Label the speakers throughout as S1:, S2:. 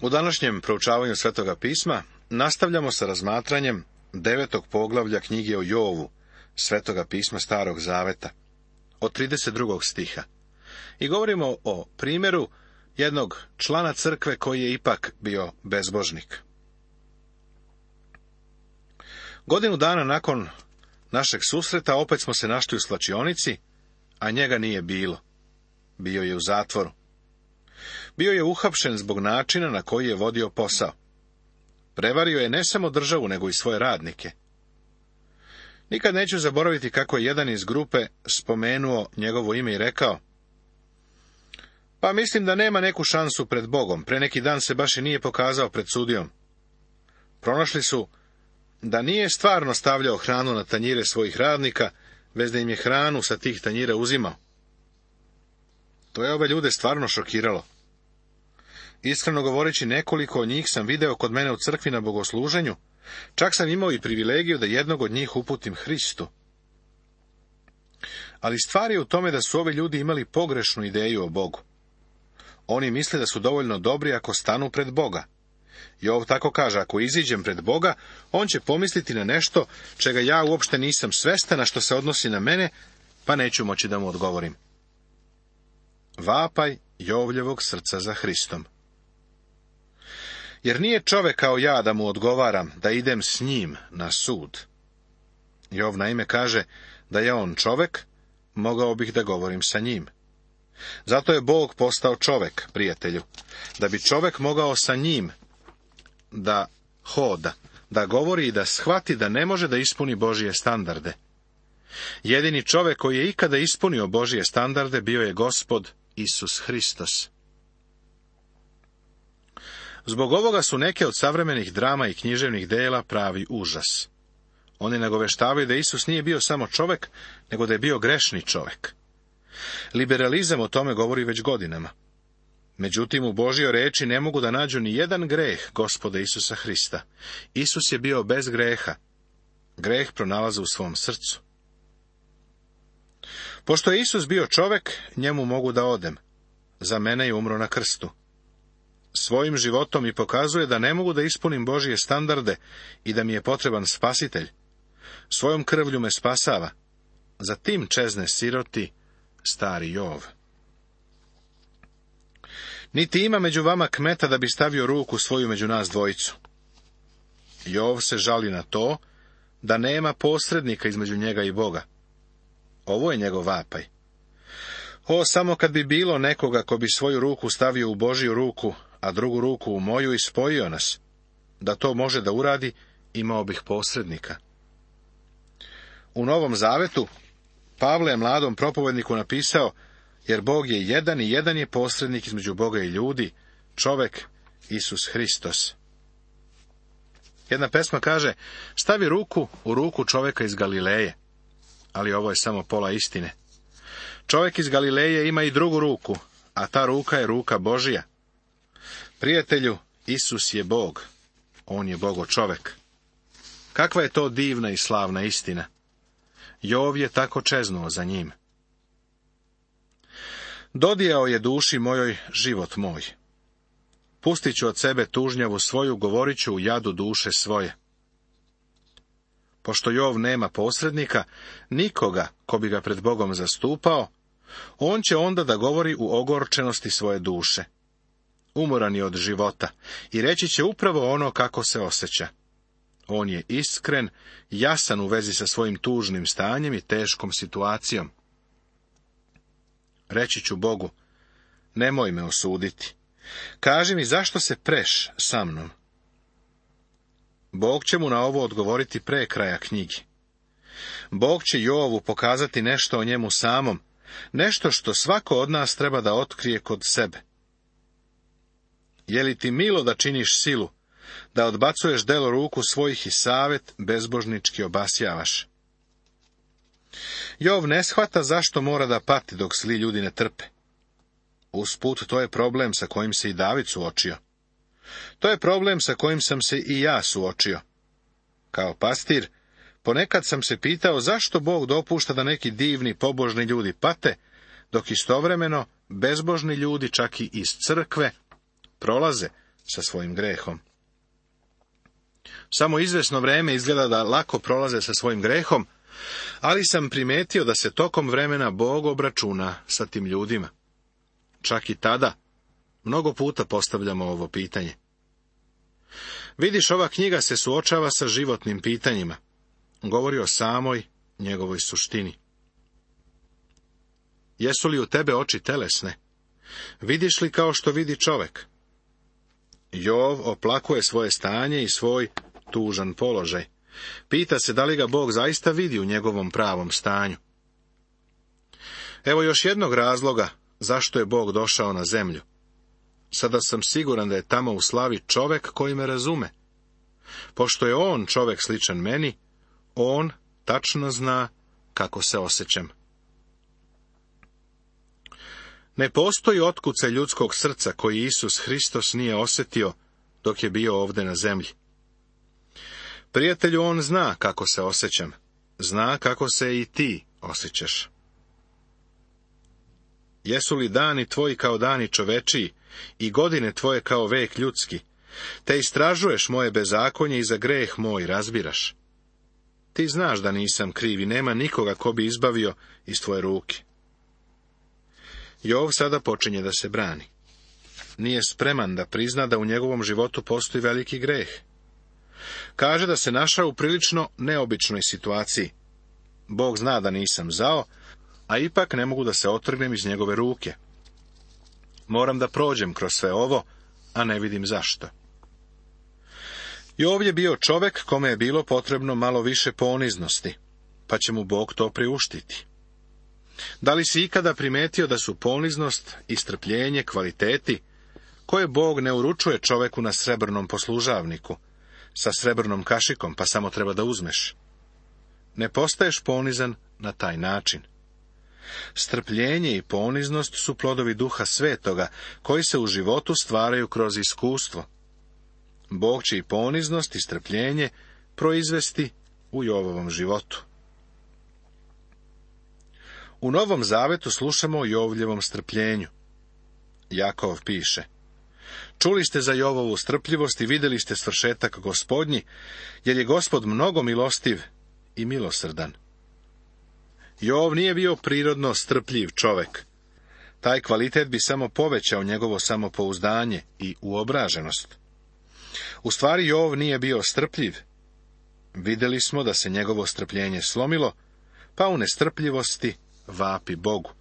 S1: U današnjem proučavanju Svetoga pisma nastavljamo sa razmatranjem 9. poglavlja knjige o Jovu, Svetoga pisma Starog zaveta, od 32. stiha. I govorimo o primjeru jednog člana crkve koji je ipak bio bezbožnik. Godinu dana nakon našeg susreta opet smo se našli u svlačionici, a njega nije bilo. Bio je u zatvoru. Bio je uhapšen zbog načina na koji je vodio posao. Prevario je ne samo državu, nego i svoje radnike. Nikad neću zaboraviti kako je jedan iz grupe spomenuo njegovo ime i rekao: pa mislim da nema neku šansu pred Bogom, pre neki dan se baš i nije pokazao pred sudijom. Pronašli su da nije stvarno stavljao hranu na tanjire svojih radnika, već da im je hranu sa tih tanjira uzimao. To je ove ljude stvarno šokiralo. Iskreno govoreći, nekoliko od njih sam video kod mene u crkvi na bogosluženju, čak sam imao i privilegiju da jednog od njih uputim Hristu. Ali stvar je u tome da su ovi ljudi imali pogrešnu ideju o Bogu. Oni misle da su dovoljno dobri ako stanu pred Boga. Jov tako kaže: ako iziđem pred Boga, on će pomisliti na nešto čega ja uopšte nisam svestan, a što se odnosi na mene, pa neću moći da mu odgovorim. Vapaj Jovljevog srca za Hristom. Jer nije čovek kao ja da mu odgovaram, da idem s njim na sud. Jov naime kaže da je on čovek, mogao bih da govorim sa njim. Zato je Bog postao čovek, prijatelju, da bi čovek mogao sa njim da hoda, da govori i da shvati da ne može da ispuni Božije standarde. Jedini čovek koji je ikada ispunio Božije standarde bio je Gospod Isus Hristos. Zbog ovoga su neke od savremenih drama i književnih dela pravi užas. Oni nagoveštavaju da Isus nije bio samo čovek, nego da je bio grešni čovek. Liberalizam o tome govori već godinama. Međutim, u Božjoj reči ne mogu da nađu ni jedan greh Gospoda Isusa Hrista. Isus je bio bez greha. Greh pronalaze u svom srcu. Pošto je Isus bio čovek, njemu mogu da odem. Za mene je umro na krstu. Svojim životom mi pokazuje da ne mogu da ispunim Božje standarde i da mi je potreban spasitelj. Svojom krvlju me spasava. Za tim čezne siroti stari Jov. Niti ima među vama kmeta da bi stavio ruku svoju među nas dvojicu. Jov se žali na to da nema posrednika između njega i Boga. Ovo je njegov vapaj. O, samo kad bi bilo nekoga ko bi svoju ruku stavio u Božju ruku, a drugu ruku u moju i spojio nas, da to može da uradi, imao bih posrednika. U Novom Zavetu Pavle je mladom propovedniku napisao: jer Bog je jedan i jedan je posrednik između Boga i ljudi, čovek Isus Hristos. Jedna pesma kaže: stavi ruku u ruku čoveka iz Galileje. Ali ovo je samo pola istine. Čovek iz Galileje ima i drugu ruku, a ta ruka je ruka Božija. Prijatelju, Isus je Bog. On je Bogo čovek. Kakva je to divna i slavna istina. Jov je tako čeznuo za njim. Dodijao je duši mojoj život moj. Pustit ću od sebe tužnjavu svoju, govorit ću u jadu duše svoje. Pošto Jov nema posrednika, nikoga ko bi ga pred Bogom zastupao, on će onda da govori u ogorčenosti svoje duše. Umoran je od života i reći će upravo ono kako se osjeća. On je iskren, jasan u vezi sa svojim tužnim stanjem i teškom situacijom. Reći ću Bogu: nemoj me osuditi. Kaži mi zašto se preš sa mnom. Bog će mu na ovo odgovoriti pre kraja knjige. Bog će Jovu pokazati nešto o njemu samom, nešto što svako od nas treba da otkrije kod sebe. Je li ti milo da činiš silu, da odbacuješ delo ruku svojih i savet bezbožnički obasjavaš? Jov ne shvata zašto mora da pati dok zli ljudi ne trpe. Usput, to je problem sa kojim se i David suočio. To je problem sa kojim sam se i ja suočio. Kao pastir, ponekad sam se pitao zašto Bog dopušta da neki divni, pobožni ljudi pate, dok istovremeno bezbožni ljudi, čak i iz crkve, prolaze sa svojim grehom. Samo izvesno vreme izgleda da lako prolaze sa svojim grehom, ali sam primetio da se tokom vremena Bog obračuna sa tim ljudima. Čak i tada mnogo puta postavljamo ovo pitanje. Vidiš, ova knjiga se suočava sa životnim pitanjima. Govori o samoj njegovoj suštini. Jesu li u tebe oči telesne? Vidiš li kao što vidi čovek? Jov oplakuje svoje stanje i svoj tužan položaj. Pita se da li ga Bog zaista vidi u njegovom pravom stanju. Evo još jednog razloga zašto je Bog došao na zemlju. Sada sam siguran da je tamo u slavi čovek koji me razume. Pošto je on čovek sličan meni, on tačno zna kako se osjećam. Ne postoji otkucaj ljudskog srca koji Isus Hristos nije osjetio dok je bio ovdje na zemlji. Prijatelju, on zna kako se osjećam. Zna kako se i ti osjećaš. Jesu li dani tvoji kao dani čovečiji i godine tvoje kao vek ljudski? Te istražuješ moje bezakonje i za greh moj razbiraš. Ti znaš da nisam kriv i nema nikoga ko bi izbavio iz tvoje ruke. Jov sada počinje da se brani. Nije spreman da prizna da u njegovom životu postoji veliki greh. Kaže da se našao u prilično neobičnoj situaciji. Bog zna da nisam zao, a ipak ne mogu da se otrgnem iz njegove ruke. Moram da prođem kroz sve ovo, a ne vidim zašto. Jov je bio čovek kome je bilo potrebno malo više poniznosti, pa će mu Bog to priuštiti. Da li si ikada primetio da su poniznost i strpljenje kvaliteti koje Bog ne uručuje čoveku na srebrnom poslužavniku, sa srebrnom kašikom, pa samo treba da uzmeš? Ne postaješ ponizan na taj način. Strpljenje i poniznost su plodovi Duha Svetoga, koji se u životu stvaraju kroz iskustvo. Bog će i poniznost i strpljenje proizvesti u Jovovom životu. U Novom Zavetu slušamo o Jovljevom strpljenju. Jakov piše: čuli ste za Jovovu strpljivost i vidjeli ste svršetak Gospodnji, jer je Gospod mnogo milostiv i milosrdan. Jov nije bio prirodno strpljiv čovek. Taj kvalitet bi samo povećao njegovo samopouzdanje i uobraženost. U stvari Jov nije bio strpljiv. Vidjeli smo da se njegovo strpljenje slomilo, pa u nestrpljivosti vapi Bogu.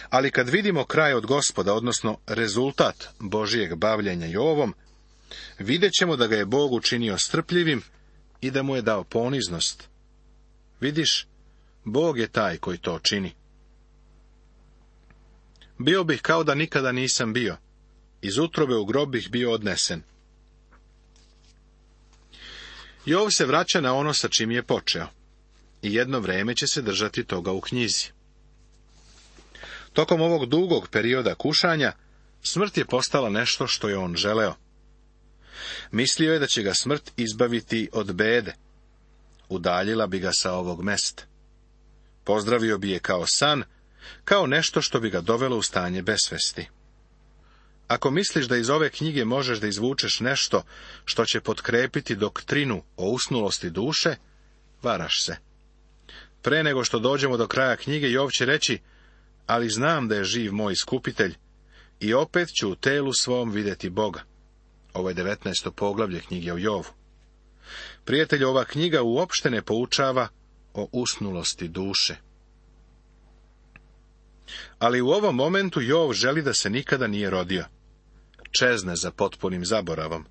S1: Ali kad vidimo kraj od Gospoda, odnosno rezultat Božijeg bavljenja Jovom, vidjet ćemo da ga je Bog učinio strpljivim i da mu je dao poniznost. Vidiš, Bog je taj koji to čini. Bio bih kao da nikada nisam bio. Iz utrobe u grob bih bio odnesen. Jov se vraća na ono sa čim je počeo. I jedno vreme će se držati toga u knjizi. Tokom ovog dugog perioda kušanja, smrt je postala nešto što je on želeo. Mislio je da će ga smrt izbaviti od bede. Udaljila bi ga sa ovog mesta. Pozdravio bi je kao san, kao nešto što bi ga dovelo u stanje besvesti. Ako misliš da iz ove knjige možeš da izvučeš nešto što će potkrepiti doktrinu o usnulosti duše, varaš se. Pre nego što dođemo do kraja knjige, Jov će reći: ali znam da je živ moj iskupitelj i opet ću u telu svom vidjeti Boga. Ovo je 19. poglavlje knjige o Jovu. Prijatelju, ova knjiga uopšte ne poučava o usnulosti duše. Ali u ovom momentu Jov želi da se nikada nije rodio. Čezne za potpunim zaboravom.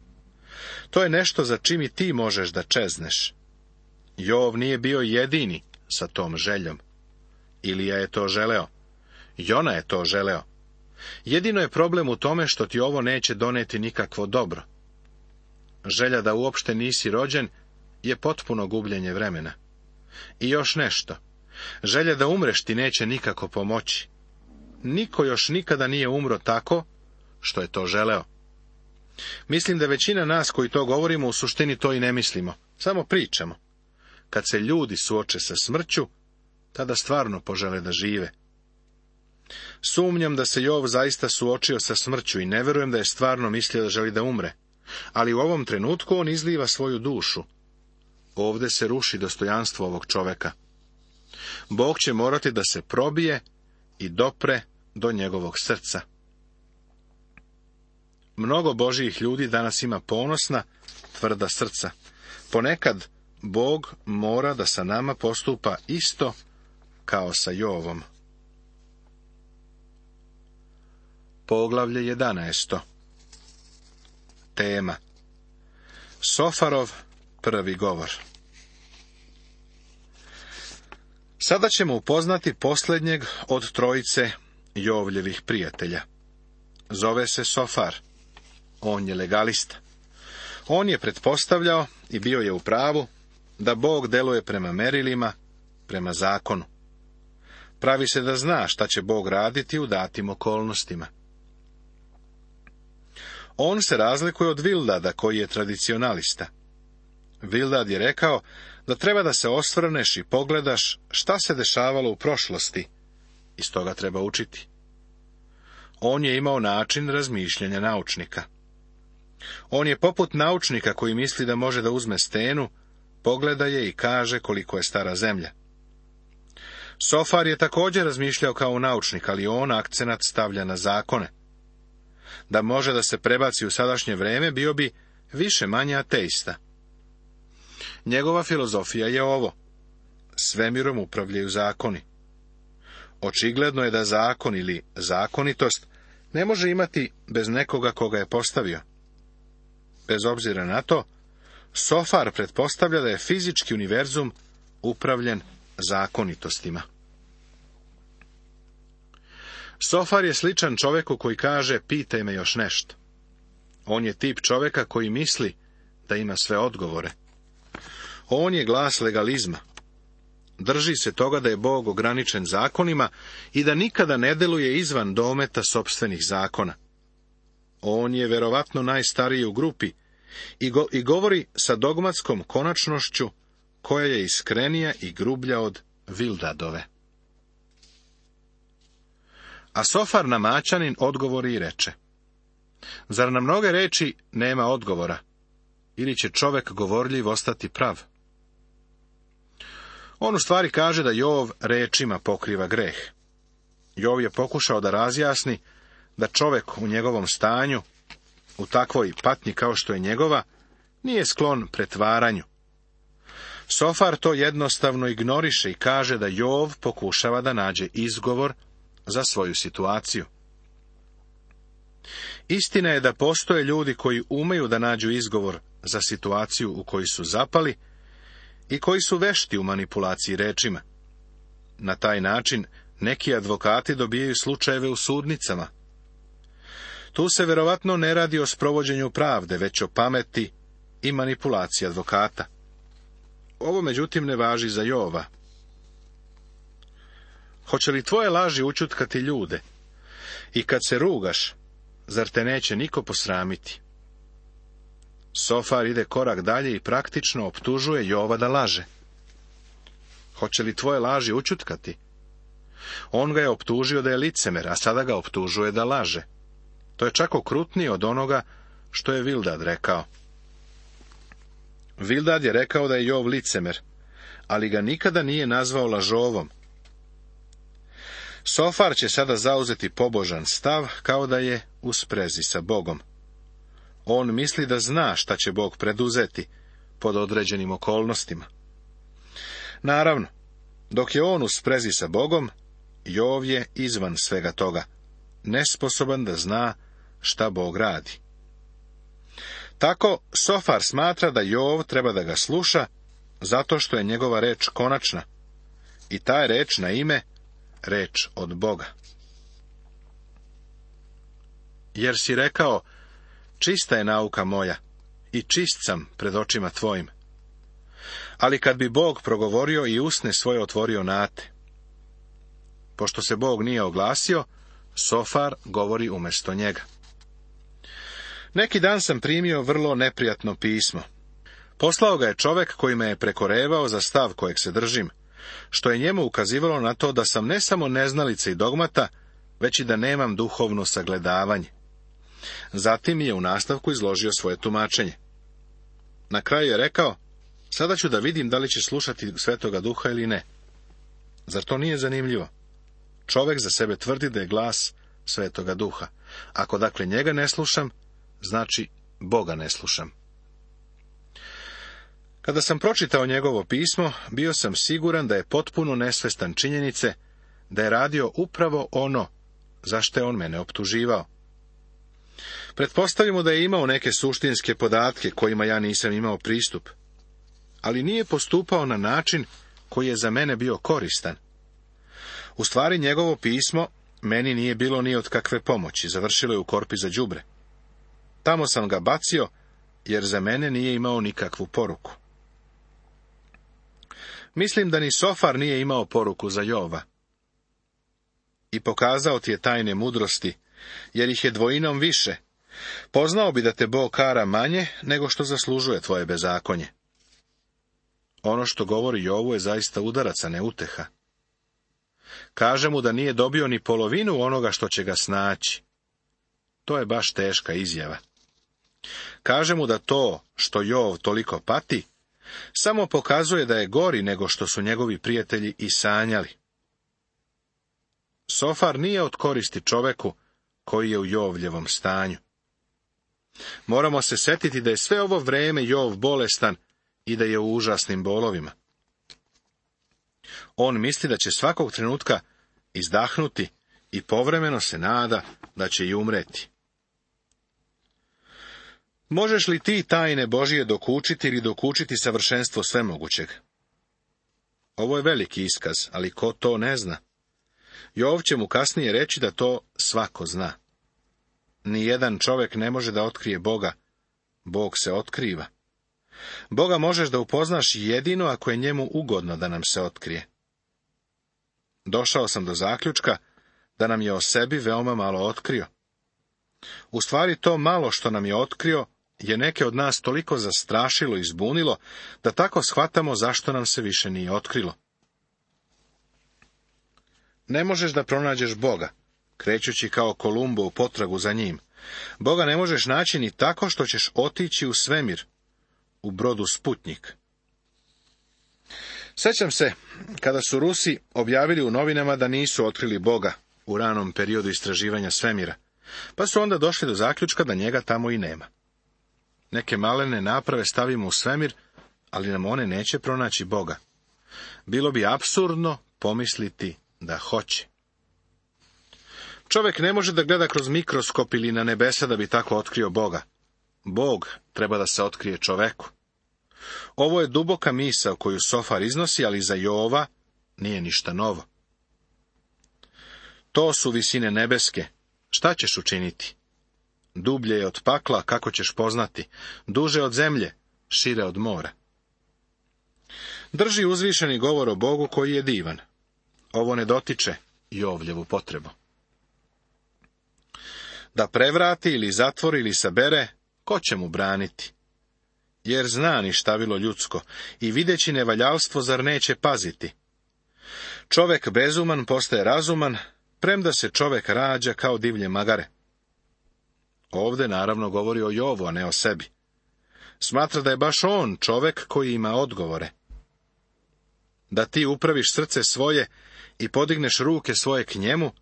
S1: To je nešto za čim i ti možeš da čezneš. Jov nije bio jedini sa tom željom. Ilija je to želeo. Jona je to želeo. Jedino je problem u tome što ti ovo neće doneti nikakvo dobro. Želja da uopšte nisi rođen je potpuno gubljenje vremena. I još nešto. Želja da umreš ti neće nikako pomoći. Niko još nikada nije umro tako što je to želeo. Mislim da većina nas koji to govorimo u suštini to i ne mislimo. Samo pričamo. Kad se ljudi suoče sa smrću, tada stvarno požele da žive. Sumnjam da se Jov zaista suočio sa smrću i ne vjerujem da je stvarno mislio da želi da umre, ali u ovom trenutku on izliva svoju dušu. Ovdje se ruši dostojanstvo ovog čoveka. Bog će morati da se probije i dopre do njegovog srca. Mnogo Božjih ljudi danas ima ponosna, tvrda srca. Ponekad Bog mora da sa nama postupa isto kao sa Jovom. Poglavlje 11. Tema: Sofarov prvi govor. Sada ćemo upoznati posljednjeg od trojice Jovljevih prijatelja. Zove se Sofar. On je legalista. On je pretpostavljao, i bio je u pravu, da Bog deluje prema merilima, prema zakonu. Pravi se da zna šta će Bog raditi u datim okolnostima. On se razlikuje od Vildada, koji je tradicionalista. Vildad je rekao da treba da se osvrneš i pogledaš šta se dešavalo u prošlosti, iz toga treba učiti. On je imao način razmišljanja naučnika. On je poput naučnika koji misli da može da uzme stenu, pogleda je i kaže koliko je stara zemlja. Sofar je također razmišljao kao naučnik, ali on akcenat stavlja na zakone. Da može da se prebaci u sadašnje vreme, bio bi više manje ateista. Njegova filozofija je ovo: svemirom upravljaju zakoni. Očigledno je da zakon ili zakonitost ne može imati bez nekoga koga je postavio. Bez obzira na to, Sofar pretpostavlja da je fizički univerzum upravljen zakonitostima. Sofar je sličan čoveku koji kaže: pitaj me još nešto. On je tip čoveka koji misli da ima sve odgovore. On je glas legalizma. Drži se toga da je Bog ograničen zakonima i da nikada ne deluje izvan dometa sopstvenih zakona. On je verovatno najstariji u grupi i govori sa dogmatskom konačnošću koja je iskrenija i grublja od Vildadove. A Sofar Namaćanin odgovori i reče: zar na mnoge reči nema odgovora, ili će čovek govorljiv ostati prav? On u stvari kaže da Jov rečima pokriva greh. Jov je pokušao da razjasni da čovek u njegovom stanju, u takvoj patnji kao što je njegova, nije sklon pretvaranju. Sofar to jednostavno ignoriše i kaže da Jov pokušava da nađe izgovor za svoju situaciju. Istina je da postoje ljudi koji umeju da nađu izgovor za situaciju u koju su zapali i koji su vešti u manipulaciji rečima. Na taj način neki advokati dobijaju slučajeve u sudnicama. Tu se verovatno ne radi o sprovođenju pravde, već o pameti i manipulaciji advokata. Ovo međutim ne važi za Jova. Hoće li tvoje laži učutkati ljude? I kad se rugaš, zar te neće niko posramiti? Sofar ide korak dalje i praktično optužuje Jova da laže. Hoće li tvoje laži učutkati? On ga je optužio da je licemer, a sada ga optužuje da laže. To je čak okrutnije od onoga što je Vildad rekao. Vildad je rekao da je Jov licemer, ali ga nikada nije nazvao lažovom. Sofar će sada zauzeti pobožan stav, kao da je u sprezi sa Bogom. On misli da zna šta će Bog preduzeti pod određenim okolnostima. Naravno, dok je on u sprezi sa Bogom, Jov je izvan svega toga, nesposoban da zna šta Bog radi. Tako Sofar smatra da Jov treba da ga sluša, zato što je njegova reč konačna, i ta je reč na ime reč od Boga. Jer si rekao: čista je nauka moja i čist sam pred očima tvojim. Ali kad bi Bog progovorio i usne svoje otvorio nate. Pošto se Bog nije oglasio, Sofar govori umjesto njega. Neki dan sam primio vrlo neprijatno pismo. Poslao ga je čovek koji me je prekorevao za stav kojeg se držim, što je njemu ukazivalo na to da sam ne samo neznalica i dogmata, već i da nemam duhovno sagledavanje. Zatim je u nastavku izložio svoje tumačenje. Na kraju je rekao, sada ću da vidim da li će slušati Svetoga Duha ili ne. Zar to nije zanimljivo? Čovek za sebe tvrdi da je glas Svetoga Duha. Ako dakle njega ne slušam, znači Boga ne slušam. Kada sam pročitao njegovo pismo, bio sam siguran da je potpuno nesvestan činjenice da je radio upravo ono za što je on mene optuživao. Pretpostavimo da je imao neke suštinske podatke kojima ja nisam imao pristup, ali nije postupao na način koji je za mene bio koristan. U stvari njegovo pismo meni nije bilo ni od kakve pomoći, završilo je u korpi za đubre. Tamo sam ga bacio, jer za mene nije imao nikakvu poruku. Mislim da ni Sofar nije imao poruku za Jova. I pokazao ti je tajne mudrosti, jer ih je dvojinom više. Poznao bi da te Bog kara manje, nego što zaslužuje tvoje bezakonje. Ono što govori Jovu je zaista udarac, a ne uteha. Kaže mu da nije dobio ni polovinu onoga što će ga snaći. To je baš teška izjava. Kaže mu da to što Jov toliko pati, samo pokazuje da je gori nego što su njegovi prijatelji i sanjali. Sofar nije od koristi čoveku koji je u Jovljevom stanju. Moramo se setiti da je sve ovo vreme Jov bolestan i da je u užasnim bolovima. On misli da će svakog trenutka izdahnuti i povremeno se nada da će i umreti. Možeš li ti tajne Božije dokučiti ili dokučiti savršenstvo svemogućeg? Ovo je veliki iskaz, ali ko to ne zna? Jov će mu kasnije reći da to svako zna. Nijedan čovjek ne može da otkrije Boga. Bog se otkriva. Boga možeš da upoznaš jedino ako je njemu ugodno da nam se otkrije. Došao sam do zaključka da nam je o sebi veoma malo otkrio. U stvari to malo što nam je otkrio je neke od nas toliko zastrašilo i zbunilo, da tako shvatamo zašto nam se više nije otkrilo. Ne možeš da pronađeš Boga, krećući kao Kolumbo u potragu za njim. Boga ne možeš naći ni tako što ćeš otići u svemir, u brodu Sputnjik. Sjećam se, kada su Rusi objavili u novinama da nisu otkrili Boga u ranom periodu istraživanja svemira, pa su onda došli do zaključka da njega tamo i nema. Neke malene naprave stavimo u svemir, ali nam one neće pronaći Boga. Bilo bi apsurdno pomisliti da hoće. Čovjek ne može da gleda kroz mikroskop ili na nebesa da bi tako otkrio Boga. Bog treba da se otkrije čoveku. Ovo je duboka misao koju Sofar iznosi, ali za Jova nije ništa novo. To su visine nebeske. Šta ćeš učiniti? Dublje je od pakla, kako ćeš poznati? Duže od zemlje, šire od mora. Drži uzvišeni govor o Bogu koji je divan. Ovo ne dotiče Jovljevu potrebu. Da prevrati ili zatvori ili sabere, ko će mu braniti? Jer zna ništavilo ljudsko i videći nevaljalstvo zar neće paziti? Čovek bezuman postaje razuman, premda se čovek rađa kao divlje magare. Ovde naravno govori o Jovu, a ne o sebi. Smatra da je baš on čovek koji ima odgovore. Da ti upraviš srce svoje i podigneš ruke svoje k njemu,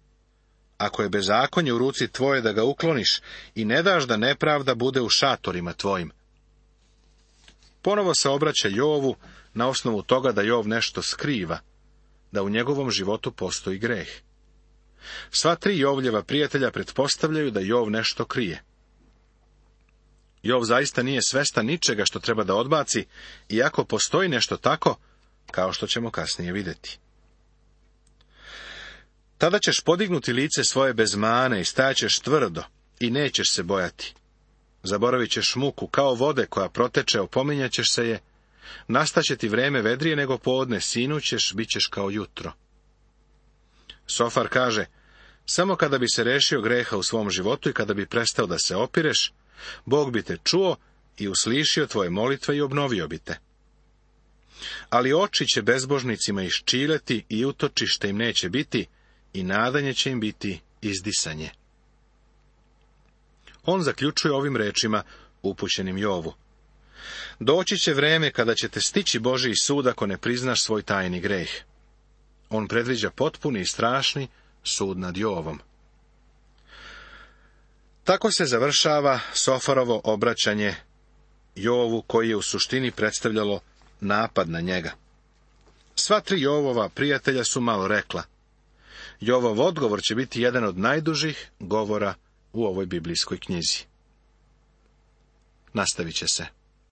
S1: ako je bezakonje u ruci tvoje da ga ukloniš i ne daš da nepravda bude u šatorima tvojim. Ponovo se obraća Jovu na osnovu toga da Jov nešto skriva, da u njegovom životu postoji greh. Sva tri Jovljeva prijatelja pretpostavljaju da Jov nešto krije. Jov zaista nije svestan ničega što treba da odbaci, iako postoji nešto tako, kao što ćemo kasnije vidjeti. Tada ćeš podignuti lice svoje bez mane i stajaćeš tvrdo i nećeš se bojati. Zaboravit ćeš muku kao vode koja proteče, opominjaćeš se je, nastaće ti vreme vedrije nego podne, sinućeš, bit ćeš kao jutro. Sofar kaže, samo kada bi se rešio greha u svom životu i kada bi prestao da se opireš, Bog bi te čuo i uslišio tvoje molitve i obnovio bi te. Ali oči će bezbožnicima iščileti i utočište im neće biti i nadanje će im biti izdisanje. On zaključuje ovim rečima upućenim Jovu. Doći će vreme kada ćete stići Božji sud ako ne priznaš svoj tajni greh. On predviđa potpuni i strašni sud nad Jovom. Tako se završava Sofarovo obraćanje Jovu, koji je u suštini predstavljalo napad na njega. Sva tri Jovova prijatelja su malo rekla. Jovov odgovor će biti jedan od najdužih govora u ovoj biblijskoj knjizi. Nastavit će se.